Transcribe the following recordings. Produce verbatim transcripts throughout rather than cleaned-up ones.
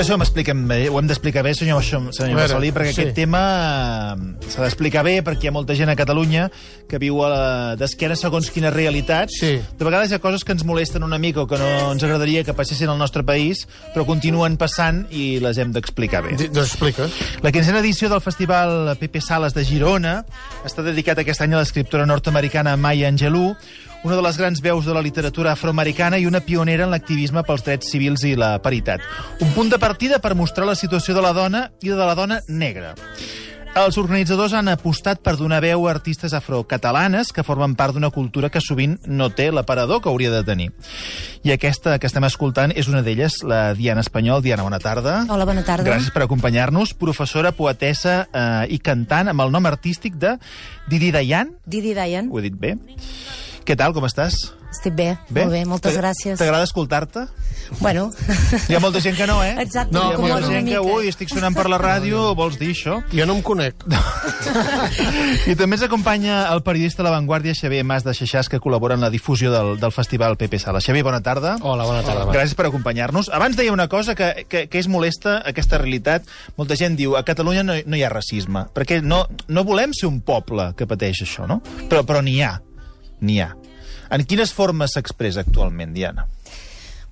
veure si ho expliquem bé, ho hem d'explicar bé, senyor, senyor Bassolí, perquè sí. Aquest tema s'ha d'explicar bé, perquè hi ha molta gent a Catalunya que viu d'esquena segons quines realitats. Sí. De vegades hi ha coses que ens molesten una mica o que no ens agradaria que passessin al nostre país, però continuen passant i les hem d'explicar bé. Doncs explica. La quinzena edició del Festival Pepe Sales de Girona està dedicat aquest any a l'escriptora nord-americana Maya Angelou, una de les grans veus de la literatura afroamericana i una pionera en l'activisme pels drets civils i la paritat. Un punt de partida per mostrar la situació de la dona i de la dona negra. Els organitzadors han apostat per donar veu a artistes afrocatalanes que formen part d'una cultura que sovint no té l'aparador que hauria de tenir. I aquesta que estem escoltant és una d'elles, la Diana Espanyol. Diana, bona tarda. Hola, bona tarda. Gràcies per acompanyar-nos. Professora, poetessa eh, i cantant amb el nom artístic de Didi Dayan. Didi Dayan. Ho he dit bé. Què tal, com estàs? Estic bé, bé? molt bé, moltes gràcies. T'agrada escoltar-te? Bueno... Hi ha molta gent que no, eh? Exacte, no, hi ha molta gent que, ui, estic sonant per la ràdio, vols dir això? Jo no em conec. I també ens acompanya el periodista de La Vanguardia, Xavier Mas de Xaixàs, que col·labora en la difusió del, del Festival Pepe Sales. Xavier, bona tarda. Hola, bona tarda. Hola. Gràcies per acompanyar-nos. Abans deia una cosa que, que, que és molesta, aquesta realitat. Molta gent diu, a Catalunya no, no hi ha racisme, perquè no, no volem ser un poble que pateix això, no? Però, però n'hi ha, n'hi ha. En quines formes s'expressa actualment, Diana?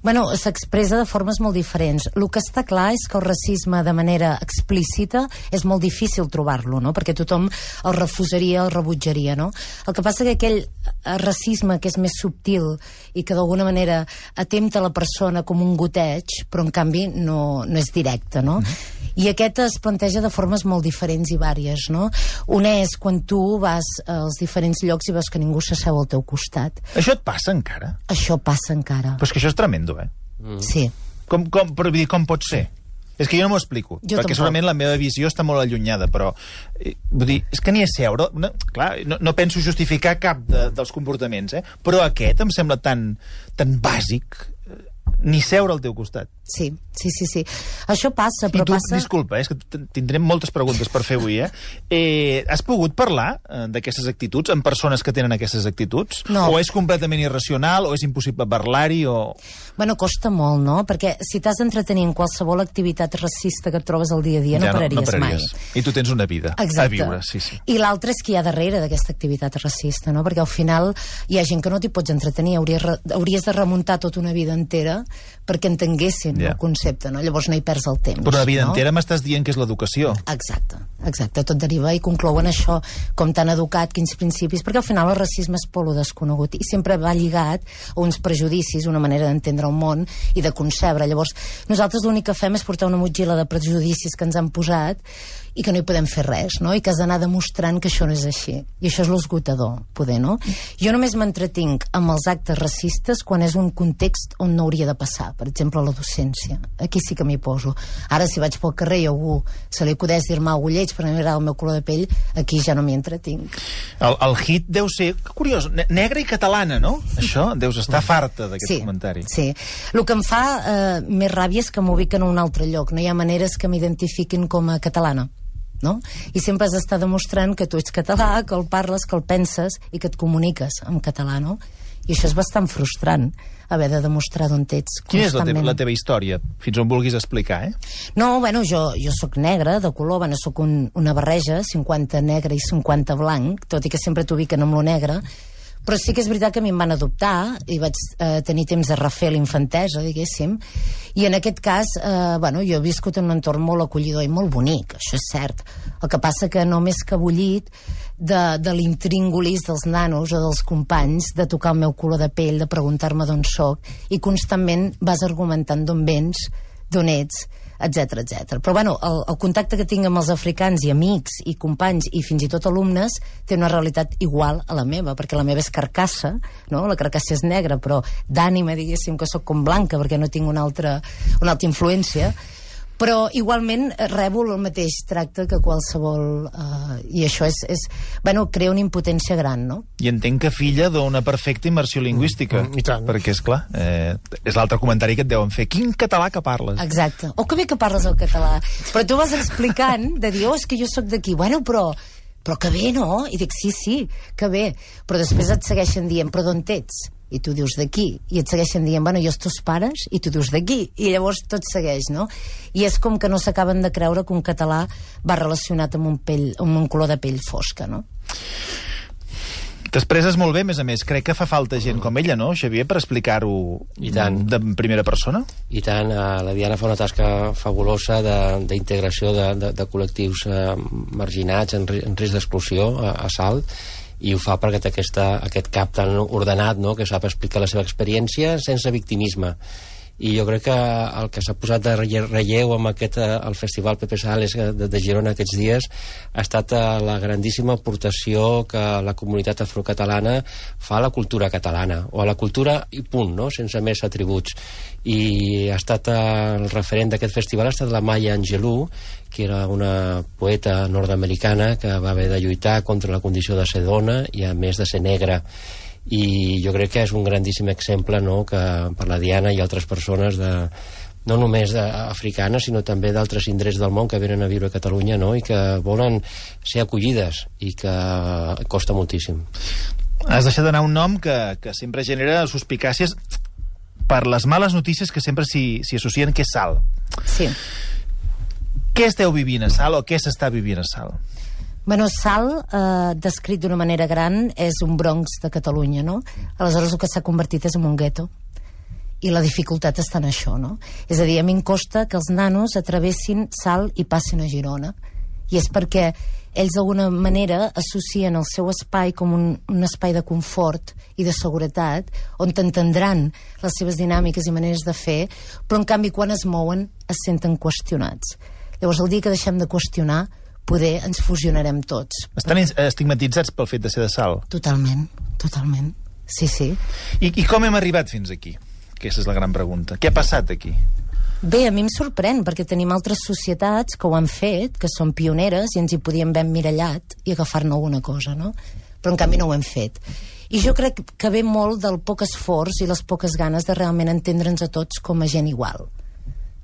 Bueno, s'expressa de formes molt diferents. El que està clar és que el racisme de manera explícita és molt difícil trobar-lo, no? Perquè tothom el refusaria, el rebutjaria, no? El que passa que aquell racisme que és més subtil i que d'alguna manera atempta la persona com un goteig, però en canvi no, no és directe, no? Mm-hmm. I aquest es planteja de formes molt diferents i vàries, no? Una és quan tu vas als diferents llocs i veus que ningú s'asseu al teu costat. Això et passa encara? Això passa encara. Però és que això és tremendo, eh? Mm. Sí. Com, com, però, dir, com pot ser? És que jo no m'ho explico, jo perquè tampoc. Segurament la meva visió està molt allunyada, però eh, vull dir, és que ni a seure... No, clar, no, no penso justificar cap de, dels comportaments, eh? Però aquest em sembla tan, tan bàsic, eh, ni seure al teu costat. Sí, sí, sí, sí. Això passa, però I tu, passa... disculpa, eh, és que tindrem moltes preguntes per fer avui, eh? eh has pogut parlar eh, d'aquestes actituds amb persones que tenen aquestes actituds? No. O és completament irracional, o és impossible parlar-hi, o... Bueno, costa molt, no? Perquè si t'has d'entretenir en qualsevol activitat racista que et trobes al dia a dia, no, ja, pararies, no, no pararies mai. I tu tens una vida Exacte. A viure, sí, sí. I l'altre és que hi ha darrere d'aquesta activitat racista, no? Perquè al final hi ha gent que no t'hi pots entretenir, hauries, hauries de remuntar tota una vida entera perquè entenguessin yeah. el concepte, no? Llavors no hi perds el temps. Però una vida no? entera m'estàs dient que és l'educació. Exacte, exacte. Tot deriva i conclouen això, com t'han educat, quins principis, perquè al final el racisme és por lo desconegut i sempre va lligat a uns prejudicis, una manera d'entendre el món i de concebre. Llavors, nosaltres l'únic que fem és portar una motxilla de prejudicis que ens han posat i que no hi podem fer res, no? I que has d'anar demostrant que això no és així. I això és l'esgotador, poder, no? Jo només m'entretinc amb els actes racistes quan és un context on no hauria de passar. Per exemple, la docència. Aquí sí que m'hi poso. Ara, si vaig pel carrer i a algú se li acudeix dir-me algú lleig per mirar el meu color de pell, aquí ja no m'hi entretinc. El, el hit deu ser, que curiós, negra i catalana, no? Això, deus estar farta d'aquest sí, comentari. Sí, el que em fa eh, més ràbia és que m'ubiquen a un altre lloc. No hi ha maneres que m'identifiquin com a catalana. No? I sempre has d'estar demostrant que tu ets català, que el parles, que el penses i que et comuniques en català, no? I això és bastant frustrant, haver de demostrar d'on ets constantment. Quina és la teva, la teva història? Fins on vulguis explicar, eh? No, bueno, jo, jo sóc negra, de color, bueno, sóc un, una barreja, cinquanta negre i cinquanta blanc, tot i que sempre t'ubiquen amb lo negre, però sí que és veritat que a mi em van adoptar i vaig eh, tenir temps de refer l'infantesa, diguéssim, i en aquest cas, eh, bueno, jo he viscut en un entorn molt acollidor i molt bonic, això és cert. El que passa que no m'he escabollit de, de l'intríngulis dels nanos o dels companys, de tocar el meu color de pell, de preguntar-me d'on soc, i constantment vas argumentant d'on vens, d'on ets, etcètera, etcètera. Però bueno, el, el contacte que tinc amb els africans i amics i companys i fins i tot alumnes té una realitat igual a la meva, perquè la meva és carcassa, no? La carcassa és negra, però d'ànima, diguéssim, que sóc com blanca perquè no tinc una altra, una altra influència. Però igualment rebo el mateix tracte que qualsevol... Eh, I això és, és... Bueno, crea una impotència gran, no? I entenc que filla d'una perfecta immersió lingüística. Mm, I tant. Perquè, és clar, eh, és l'altre comentari que et deuen fer. Quin català que parles. Exacte. Oh, que bé que parles el català. Però tu vas explicant, de dir, oh, és que jo sóc d'aquí. Bueno, però... Però que bé, no? I dic, sí, sí, que bé. Però després et segueixen dient, però d'on ets? i tu dius d'aquí, i et segueixen dient, bueno, i els teus pares, i tu dius d'aquí, i llavors tot segueix, no? I és com que no s'acaben de creure que un català va relacionat amb un, pell, amb un color de pell fosca, no? T'expresses molt bé, a més a més. Crec que fa falta gent com ella, no, Xavier, per explicar-ho de primera persona? I tant. La Diana fa una tasca fabulosa d'integració de, de, de col·lectius eh, marginats en, en risc d'exclusió a, a Salt, i ho fa perquè té aquesta, aquest cap tan ordenat, no?, que sap explicar la seva experiència sense victimisme. I jo crec que el que s'ha posat de relleu amb aquest, el Festival Pepe Sales de, de Girona aquests dies ha estat la grandíssima aportació que la comunitat afrocatalana fa a la cultura catalana, o a la cultura i punt, no?, sense més atributs. I ha estat el referent d'aquest festival ha estat la Maya Angelou, que era una poeta nord-americana que va haver de lluitar contra la condició de ser dona i a més de ser negra. I jo crec que és un grandíssim exemple, no?, que per la Diana i altres persones de, no només africanes sinó també d'altres indrets del món que venen a viure a Catalunya, no?, i que volen ser acollides, i que costa moltíssim. Has deixat d'anar un nom que, que sempre genera suspicàcies per les males notícies que sempre s'hi associen, que és Salt. Sí. Què esteu vivint a Salt, o què s'està vivint a Salt? Bueno, Salt, eh, descrit d'una manera gran, és un Bronx de Catalunya, no? Aleshores el que s'ha convertit és en un gueto. I la dificultat està en això, no? És a dir, a mi em costa que els nanos atravessin Salt i passin a Girona. I és perquè ells d'alguna manera associen el seu espai com un, un espai de confort i de seguretat, on t'entendran les seves dinàmiques i maneres de fer, però en canvi quan es mouen es senten qüestionats. Llavors el dia que deixem de qüestionar, poder ens fusionarem tots. Estan estigmatitzats pel fet de ser de Salt? Totalment, totalment. Sí, sí. I, i com hem arribat fins aquí? Aquesta és la gran pregunta. Què ha passat aquí? Bé, a mi em sorprèn, perquè tenim altres societats que ho han fet, que són pioneres, i ens hi podíem haver emmirallat i agafar-ne alguna cosa, no? Però en canvi no ho hem fet. I jo crec que ve molt del poc esforç i les poques ganes de realment entendre'ns a tots com a gent igual.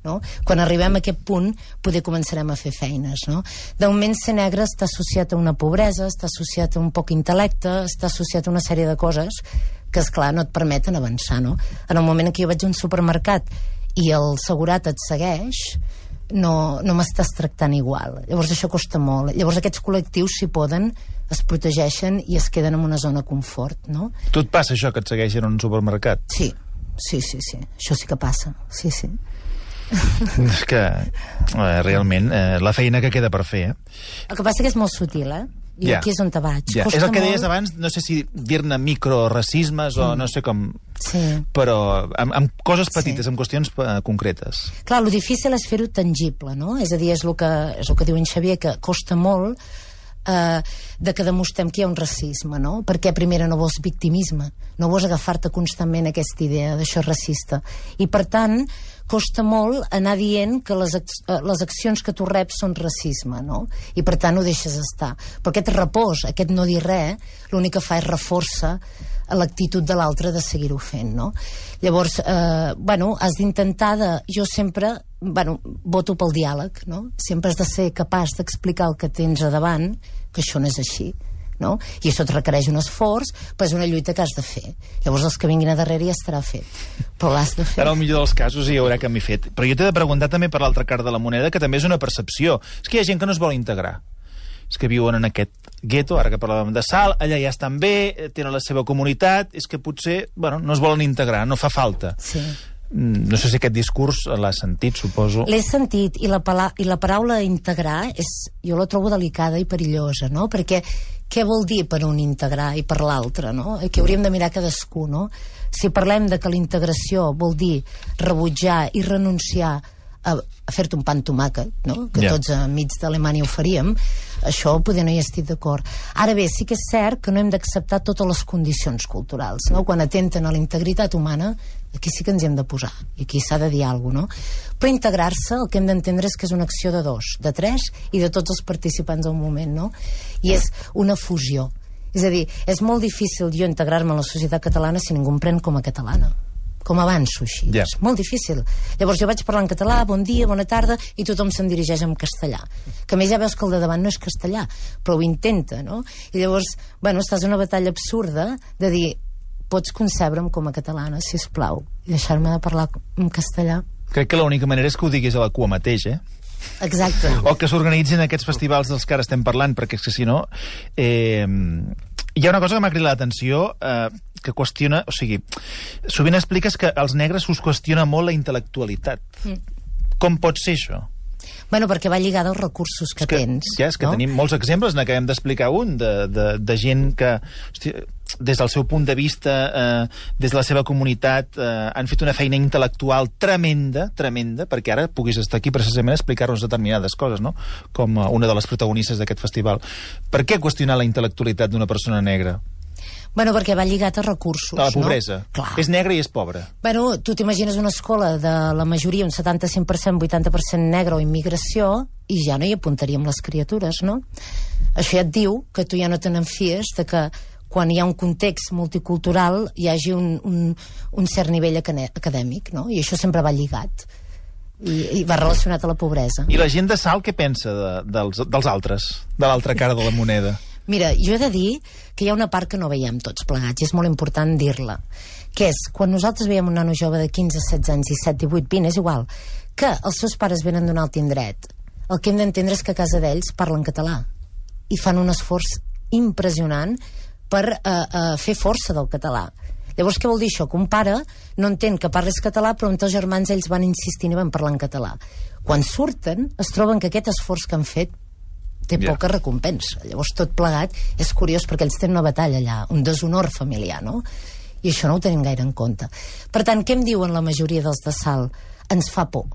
No? Quan arribem a aquest punt poder començarem a fer feines, no? De moment ser negre està associat a una pobresa, està associat a un poc intel·lecte, està associat a una sèrie de coses que, esclar, no et permeten avançar, no? En el moment en què jo vaig a un supermercat i el segurat et segueix, no, no m'estàs tractant igual. Llavors això costa molt. Llavors aquests col·lectius, si poden, es protegeixen i es queden en una zona de confort, no? Tu et passa això, que et segueixen en un supermercat? Sí, sí, sí, sí. Això sí que passa, sí, sí. És que eh, realment eh, la feina que queda per fer, eh? El que passa que és molt sutil, eh? I ja. Aquí és on te vaig. Ja. És el que molt... deies abans, no sé si dir-ne microracismes mm. o no sé com... Sí. Però amb, amb coses petites, sí. amb qüestions uh, concretes. Clar, el difícil és fer-ho tangible, no? És a dir, és el que, és el que diu en Xavier, que costa molt eh, de que demostrem que hi ha un racisme, no? Perquè primera no vols victimisme, no vols agafar-te constantment aquesta idea d'això racista. I per tant, costa molt anar dient que les, les accions que tu reps són racisme, no? I per tant ho deixes estar. Però aquest repòs, aquest no dir res, l'únic que fa és reforça l'actitud de l'altre de seguir-ho fent, no? Llavors, eh, bueno, has d'intentar de... Jo sempre, bueno, voto pel diàleg, no? Sempre has de ser capaç d'explicar el que tens a davant, que això no és així, no? I això et requereix un esforç, però és una lluita que has de fer. Llavors els que vinguin a darrere ja estarà fet, però l'has de fer. En el millor dels casos hi haurà canvi fet. Però jo t'he de preguntar també per l'altra cara de la moneda, que també és una percepció. És que hi ha gent que no es vol integrar. És que viuen en aquest gueto, ara que parlàvem de Salt, allà ja estan bé, tenen la seva comunitat, és que potser, bueno, no es volen integrar, no fa falta. Sí. No sé si aquest discurs l'has sentit, suposo. L'he sentit, i la, pala i la paraula integrar és, jo la trobo delicada i perillosa, no? Perquè què vol dir per un integrar i per l'altre, no? Que hauríem de mirar cadascú, no? Si parlem de que la integració vol dir rebutjar i renunciar a, a fer-te un pa amb tomàquet, no? Que yeah. tots enmig d'Alemanya ho faríem, això poder no hi estic d'acord. Ara bé, sí que és cert que no hem d'acceptar totes les condicions culturals, no? Quan atenten a la integritat humana, aquí sí que ens hi hem de posar, i aquí s'ha de dir alguna cosa, no? Però integrar-se, el que hem d'entendre és que és una acció de dos, de tres i de tots els participants al moment, no? I és una fusió. És a dir, és molt difícil jo integrar-me en la societat catalana si ningú em pren com a catalana. Com avanço així. Yeah. És molt difícil. Llavors jo vaig parlar en català, bon dia, bona tarda, i tothom se'n dirigeix en castellà. Que a més ja veus que el de davant no és castellà, però ho intenta, no? I llavors, bueno, estàs en una batalla absurda de dir pots concebre'm com a catalana, sisplau, i deixar-me de parlar en castellà. Crec que l'única manera és que ho diguis a la cua mateix, eh? Exacte. O que s'organitzin aquests festivals dels que ara estem parlant, perquè és que si no... Eh, hi ha una cosa que m'ha cridat l'atenció, eh, que qüestiona... O sigui, sovint expliques que als negres us qüestiona molt la intel·lectualitat. Mm. Com pot ser això? Bueno, perquè va lligada als recursos que, que tens. Ja, és que no? tenim molts exemples, n'acabem d'explicar un, de, de, de gent que, hosti, des del seu punt de vista, eh, des de la seva comunitat, eh, han fet una feina intel·lectual tremenda, tremenda, perquè ara puguis estar aquí precisament a explicar-nos determinades coses, no? Com una de les protagonistes d'aquest festival. Per què qüestionar la intel·lectualitat d'una persona negra? Bueno, perquè va lligat a recursos, a la pobresa. No? Clar. És negre i és pobre. Bueno, tu t'imagines una escola de la majoria, un setanta-cinc per cent, vuitanta per cent negre o immigració, i ja no hi apuntaríem les criatures, no? Això ja et diu que tu ja no te n'enfies de que quan hi ha un context multicultural hi hagi un, un, un cert nivell acadèmic, no? I això sempre va lligat. I, i va relacionat a la pobresa. I la gent de Salt què pensa de, dels, dels altres, de l'altra cara de la moneda? Mira, jo he de dir que hi ha una part que no veiem tots plegats, i és molt important dir-la, que és, quan nosaltres veiem un nano jove de quinze, setze anys, disset, divuit, vint, és igual, que els seus pares venen d'un alt indret, el que hem d'entendre és que a casa d'ells parlen català, i fan un esforç impressionant per eh, eh, fer força del català. Llavors, què vol dir això? Que un pare no entén que parles català, però entre els germans ells van insistint i van parlar en català. Quan surten, es troben que aquest esforç que han fet té yeah. poca recompensa. Llavors, tot plegat és curiós perquè ells tenen una batalla allà, un deshonor familiar, no? I això no ho tenim gaire en compte. Per tant, què em diuen la majoria dels de Salt? Ens fa por.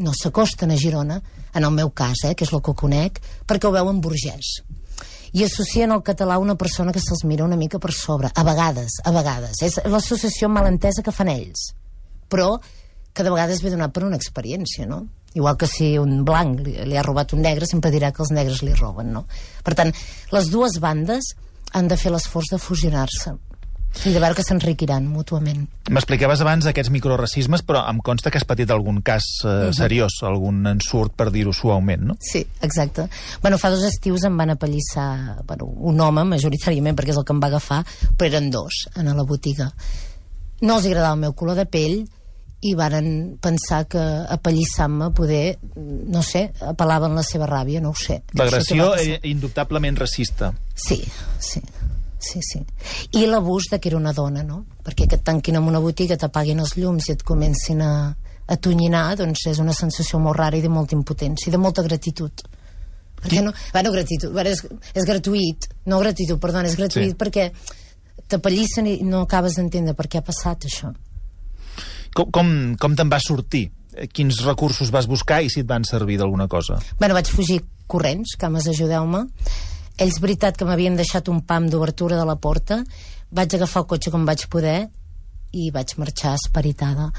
No s'acosten a Girona, en el meu cas, eh, que és el que conec, perquè ho veuen burgès. I associen al català a una persona que se'ls mira una mica per sobre. A vegades, a vegades. És l'associació malentesa que fan ells. Però que de vegades ve donat per una experiència, no? Igual que si un blanc li, li ha robat un negre, sempre dirà que els negres li roben, no? Per tant, les dues bandes han de fer l'esforç de fusionar-se i de veure que s'enriquiran mútuament. M'explicaves abans aquests microracismes, però em consta que has patit algun cas eh, uh-huh. seriós, algun ensurt, per dir-ho suaument, no? Sí, exacte. Bueno, fa dos estius em van apallissar, bueno, un home, majoritàriament, perquè és el que em va agafar, però eren dos, en la botiga. No els agradava el meu color de pell, i varen pensar que apallissant-me poder, no sé, apel·laven la seva ràbia, no ho sé. L'agressió era indubtablement racista. Sí, sí, sí, sí. I l'abús de que era una dona, no? Perquè que et tanquin en una botiga, t'apaguin els llums i et comencin a, a tonyinar, doncs és una sensació molt rara i de molta impotència, i de molta gratitud. Perquè no, bueno, gratitud, bueno, és, és gratuït, no gratitud, perdona, és gratuït sí. perquè t'apallissen i no acabes d'entendre per què ha passat això. Com, com, com te'n vas sortir? Quins recursos vas buscar i si et van servir d'alguna cosa? Bueno, vaig fugir corrents, cames, ajudeu-me. Ells, veritat, que m'havien deixat un pam d'obertura de la porta. Vaig agafar el cotxe com vaig poder i vaig marxar esperitada.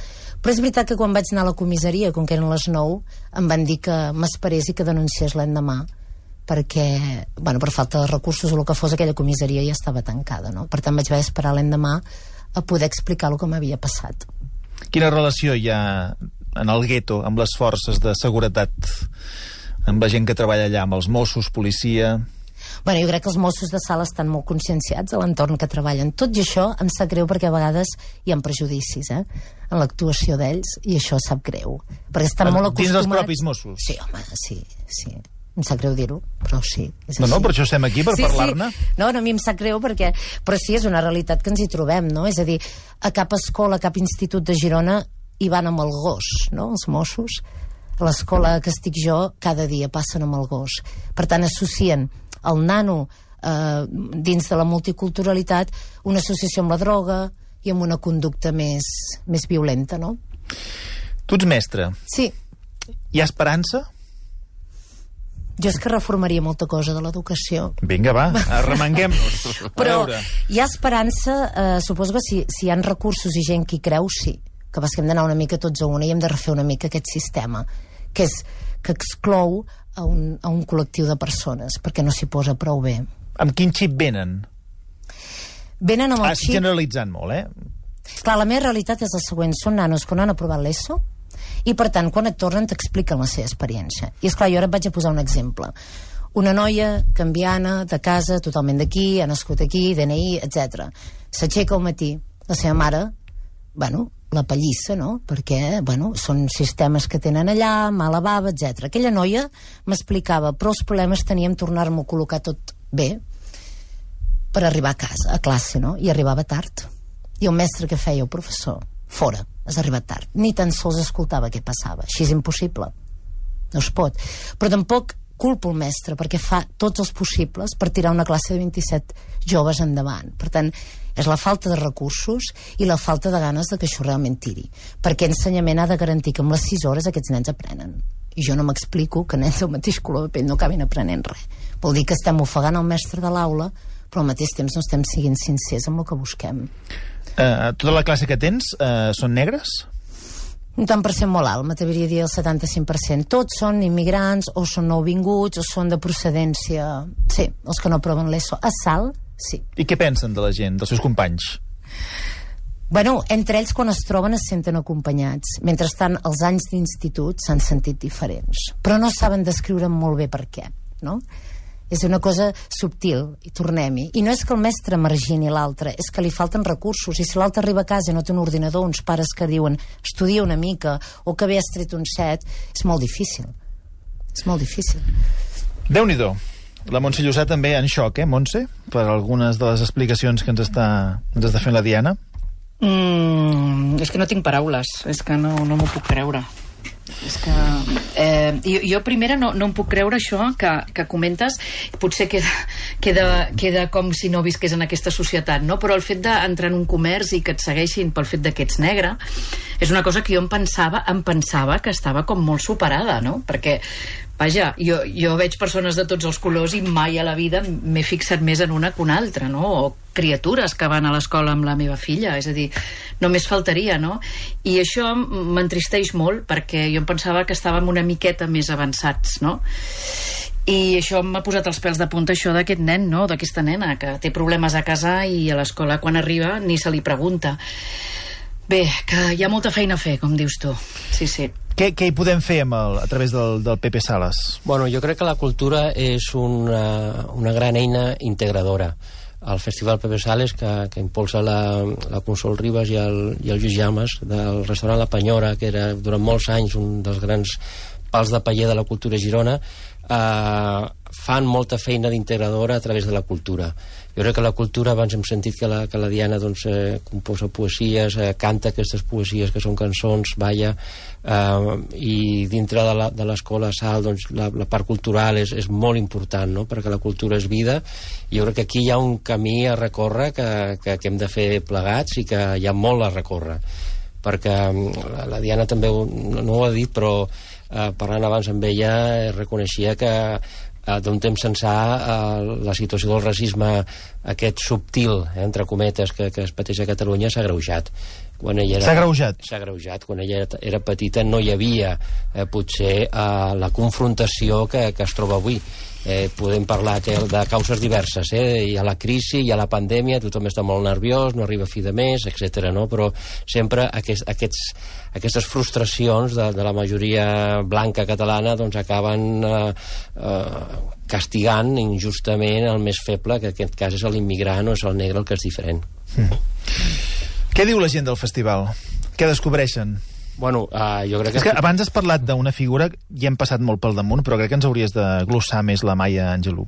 Però és veritat que quan vaig anar a la comissaria, com que eren les nou, em van dir que m'esperés i que denunciés l'endemà, perquè, bueno, per falta de recursos o el que fos, aquella comissaria ja estava tancada, no? Per tant, vaig haver d'esperar l'endemà a poder explicar el que m'havia passat. Quina relació hi ha en el gueto amb les forces de seguretat, amb la gent que treballa allà, amb els Mossos, policia? Bueno, jo crec que els Mossos de Salt estan molt conscienciats a l'entorn que treballen. Tot i això em sap greu perquè a vegades hi ha prejudicis, eh, en l'actuació d'ells, i això sap greu. Perquè estan en, molt acostumats... Dins dels propis Mossos? Sí, home, sí, sí. Em sap greu dir-ho, però sí. És no, així. no, per això estem aquí, per sí, parlar-ne. Sí. No, no, a mi em sap greu perquè... Però sí, és una realitat que ens hi trobem, no? És a dir, a cap escola, a cap institut de Girona hi van amb el gos, no?, els Mossos. A l'escola que estic jo, cada dia passen amb el gos. Per tant, associen el nano eh, dins de la multiculturalitat una associació amb la droga i amb una conducta més, més violenta, no? Tu ets mestre. Sí. Hi ha esperança? Jo és que reformaria molta cosa de l'educació. Vinga, va, arremanguem-nos. Però hi ha esperança, eh, suposo que si, si hi ha recursos i gent que hi creu, sí. Que pas que hem d'anar una mica tots a una i hem de refer una mica aquest sistema, que és que exclou a un, a un col·lectiu de persones, perquè no s'hi posa prou bé. Amb quin xip venen? Venen amb el Has xip... generalitzant molt, eh? Clar, la meva realitat és la següent. Són nanos que no han aprovat l'ESO i, per tant, quan et tornen t'expliquen la seva experiència. I, esclar, jo ara et vaig a posar un exemple. Una noia canviana, de casa, totalment d'aquí, ha nascut aquí, D N I, etcètera. s'aixeca al matí, la seva mare, bueno, la pallissa, no? Perquè, bueno, són sistemes que tenen allà, mala bava, etcètera. Aquella noia m'explicava, però els problemes teníem tornar-m'ho a col·locar tot bé per arribar a casa, a classe, no? I arribava tard. I el mestre que feia, el professor, fora, has arribat tard. Ni tan sols escoltava què passava. Així és impossible. No es pot. Però tampoc culpo el mestre, perquè fa tots els possibles per tirar una classe de vint-i-set joves endavant. Per tant, és la falta de recursos i la falta de ganes de que això realment tiri. Perquè ensenyament ha de garantir que amb les sis hores aquests nens aprenen. I jo no m'explico que nens del mateix color de pell no acabin aprenent res. Vol dir que estem ofegant el mestre de l'aula, però al mateix temps no estem siguent sincers amb el que busquem. Uh, tota la classe que tens uh, són negres? Un tant per cent molt alt, m'atreviria a dir el setanta-cinc per cent. Tots són immigrants, o són nouvinguts, o són de procedència... Sí, els que no proven l'ESO. A Salt, sí. I què pensen de la gent, dels seus companys? Bueno, entre ells, quan es troben, es senten acompanyats. Mentrestant, els anys d'institut s'han sentit diferents. Però no saben descriure molt bé per què, no? És una cosa subtil, i tornem-hi. I no és que el mestre margini l'altre, és que li falten recursos, i si l'altre arriba a casa i no té un ordinador, uns pares que diuen estudia una mica, o que bé has tret un set, és molt difícil. És molt difícil. Déu-n'hi-do. La Montse Llosà també en xoc, eh, Montse? Per algunes de les explicacions que ens està, ens està fent la Diana. Mm, és que no tinc paraules, és que no, no m'ho puc creure. És que eh, jo, jo primera no, no em puc creure això que, que comentes, potser queda, queda, queda com si no visqués en aquesta societat, no? Però el fet d'entrar en un comerç i que et segueixin pel fet que ets negre és una cosa que jo em pensava em pensava que estava com molt superada, no? Perquè vaja, jo, jo veig persones de tots els colors i mai a la vida m'he fixat més en una que una altra, no? O criatures que van a l'escola amb la meva filla, és a dir, només faltaria, no? I això m'entristeix molt perquè jo em pensava que estàvem una miqueta més avançats, no? I això m'ha posat els pèls de punta, això d'aquest nen, no? D'aquesta nena que té problemes a casa i a l'escola quan arriba ni se li pregunta. Bé, que hi ha molta feina a fer, com dius tu. Sí, sí. Què, què hi podem fer amb el, a través del, del Pepe Sales? Bueno, jo crec que la cultura és una, una gran eina integradora. El Festival Pepe Sales, que, que impulsa la, la Consol Ribas i el, i el Lluís Llames, del restaurant La Penyora, que era durant molts anys un dels grans pals de paller de la cultura a Girona, eh, fan molta feina d'integradora a través de la cultura. Jo crec que la cultura, abans hem sentit que la, que la Diana doncs, eh, composa poesies, eh, canta aquestes poesies que són cançons, balla, eh, i dintre de l'escola Salt doncs, la, la part cultural és, és molt important, no? Perquè la cultura és vida, i jo crec que aquí hi ha un camí a recórrer que, que, que hem de fer plegats i que hi ha molt a recórrer, perquè la, la Diana també ho, no ho ha dit, però eh, parlant abans amb ella reconeixia que Uh, d'un temps ençà uh, la situació del racisme aquest subtil, eh, entre cometes, que, que es pateix a Catalunya s'ha agreujat. S'ha agreujat? S'ha agreujat. Quan ella era, era petita no hi havia eh, potser uh, la confrontació que, que es troba avui. Eh, podem parlar de causes diverses, eh? Hi ha la crisi, hi ha la pandèmia, tothom està molt nerviós, no arriba a fi de mes, etcètera. No? Però sempre aquest, aquests, aquestes frustracions de, de la majoria blanca catalana doncs acaben eh, eh, castigant injustament el més feble, que en aquest cas és l'immigrant o és el negre el que és diferent. Mm. Què diu la gent del festival? Què descobreixen? Bueno, uh, jo crec que... És que abans has parlat d'una figura, ja hem passat molt pel damunt, però crec que ens hauries de glossar més la Maya Angelou.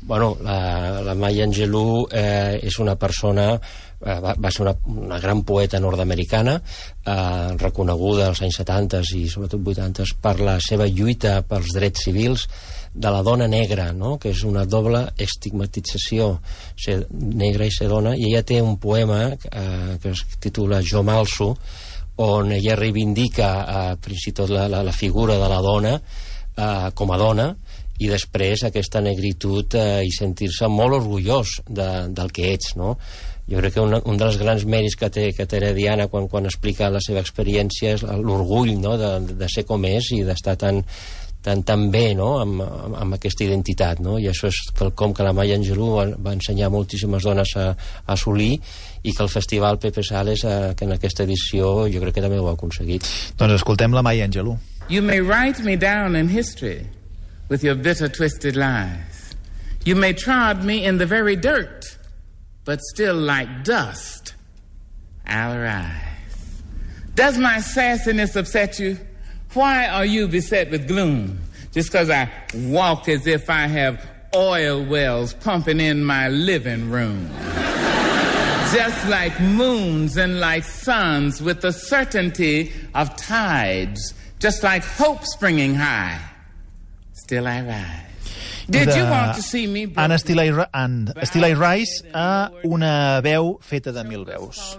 Bueno, la, la Maya Angelou eh, és una persona, eh, va, va ser una, una gran poeta nord-americana, eh, reconeguda als anys setanta i sobretot vuitanta per la seva lluita pels drets civils de la dona negra, no? Que és una doble estigmatització, ser negra i ser dona, i ella té un poema eh, que es titula Jo m'alço, on ella reivindica eh, fins i tot la, la, la figura de la dona eh, com a dona, i després aquesta negritud eh, i sentir-se molt orgullós de, del que ets, no? Jo crec que un, un dels grans mèrits que té, que té la Diana quan, quan explica la seva experiència és l'orgull, no? de, de ser com és i d'estar tan, tan, tan bé, no? amb, amb, amb aquesta identitat, no? I això és quelcom que la Maya Angelou va, va ensenyar moltíssimes dones a, a assolir, i que el Festival Pepe Sales, eh, que en aquesta edició jo crec que també ho ha aconseguit. Doncs escoltem la Maya Angelou. You may write me down in history with your bitter, twisted lies. You may trod me in the very dirt but still like dust, I'll rise. Does my sassiness upset you? Why are you beset with gloom? Just because I walk as if I have oil wells pumping in my living room. Just like moons and like suns with the certainty of tides, just like hope springing high, still I rise. Did you want to see me? Anna Steele and Steele Rice a una veu feta de mil veus.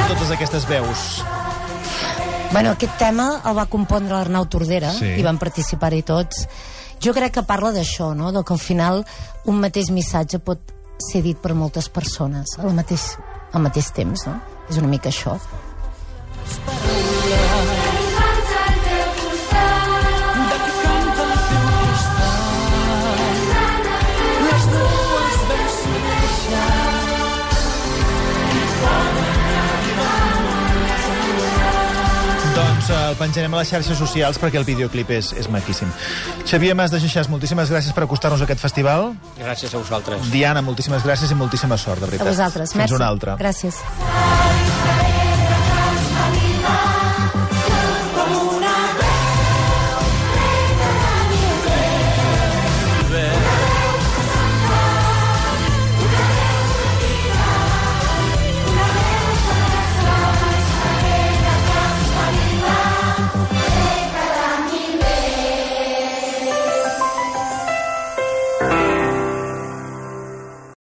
Totes aquestes veus. Bueno, aquest tema el va compondre l'Arnau Tordera, sí. I van participar-hi tots. Jo crec que parla d'això, no? De que al final un mateix missatge pot ser dit per moltes persones al mateix, al mateix temps, no? És una mica això. Doncs el penjarem a les xarxes socials perquè el videoclip és, és maquíssim. Xavier Mas de Xixàs, moltíssimes gràcies per acostar-nos a aquest festival. Gràcies a vosaltres. Diana, moltíssimes gràcies i moltíssima sort, de veritat. A vosaltres. Fins Merci. una altra. Gràcies.